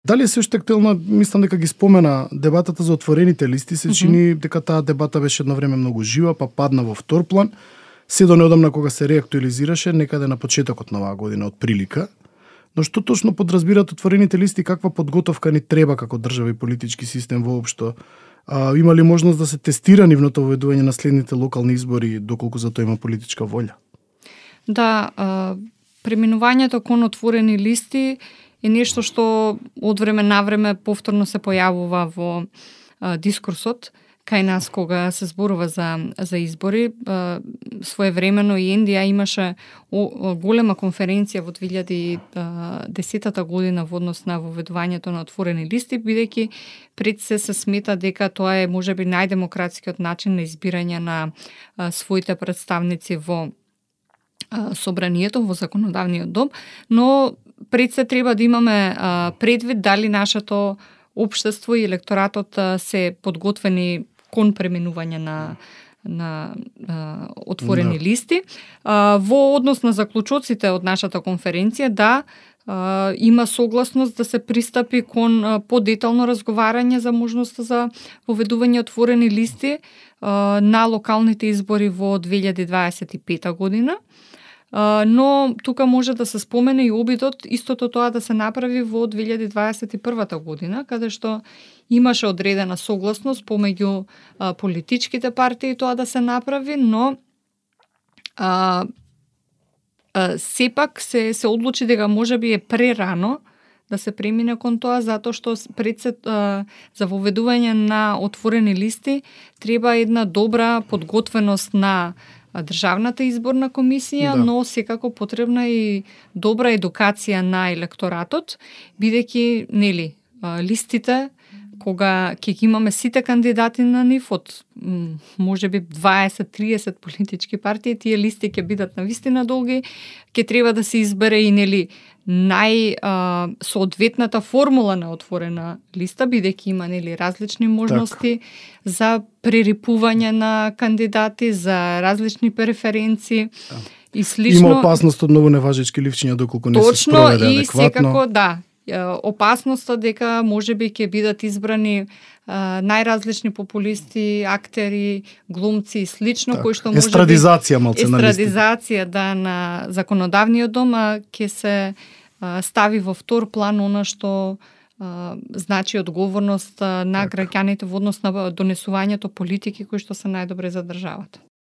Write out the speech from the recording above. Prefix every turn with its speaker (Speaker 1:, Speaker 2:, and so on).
Speaker 1: Дали е се уште актуелна, мислам дека ги спомена дебатата за отворените листи, се чини дека таа дебата беше едно време многу жива, па падна во втор план. Се до неодамна кога се реактуализираше, некаде на почетокот на оваа година од прилика. Но што точно подразбираат отворените листи, каква подготовка ни треба како држава и политички систем воопшто? Има ли можност да се тестира нивното воведување на следните локални избори, доколку за тоа има политичка волја?
Speaker 2: Да, преминувањето кон отворени листи е нешто што од време на време повторно се појавува во дискурсот кај нас кога се зборува за избори. Своевремено и Индија имаше голема конференција во 2010 година во однос на воведувањето на отворени листи, бидејќи пред се смета дека тоа е можеби најдемократскиот начин на избирање на своите представници во собранието, во законодавниот дом, но пред се треба да имаме предвид дали нашето општество и електоратот се подготвени кон преминување на отворени листи. Во однос на заклучоците од нашата конференција, да, има согласност да се пристапи кон подетално разговарање за можноста за воведување отворени листи на локалните избори во 2025 година. Но тука може да се спомене и обидот истото тоа да се направи во 2021 година, каде што имаше одредена согласност помеѓу политичките партии тоа да се направи, но сепак се одлучи дека можеби е прерано да се премине кон тоа, затоа што пред се за воведување на отворени листи треба една добра подготвеност на Државната изборна комисија, но секако потребна и добра едукација на електоратот, бидејќи нели листите кога ќе ги имаме сите кандидати на нив од можеби 20-30 политички партии, тие листи ќе бидат навистина долги, ќе треба да се избере и нели соодветната формула на отворена листа, бидејќи има нели различни можности за прерипување на кандидати, за различни преференции и слично.
Speaker 1: Има опасност од многу неважечки ливчиња доколку не се спроведе адекватно.
Speaker 2: Точно, и секако да. Опасноста дека можеби ќе бидат избрани најразлични популисти, актери, глумци и слично, кои што можеби
Speaker 1: естрадизација малце на листи.
Speaker 2: Естрадизација на законодавниот дом ќе се стави во втор план она што значи одговорност на граѓаните во однос на донесувањето политики кои што се најдобре за државата.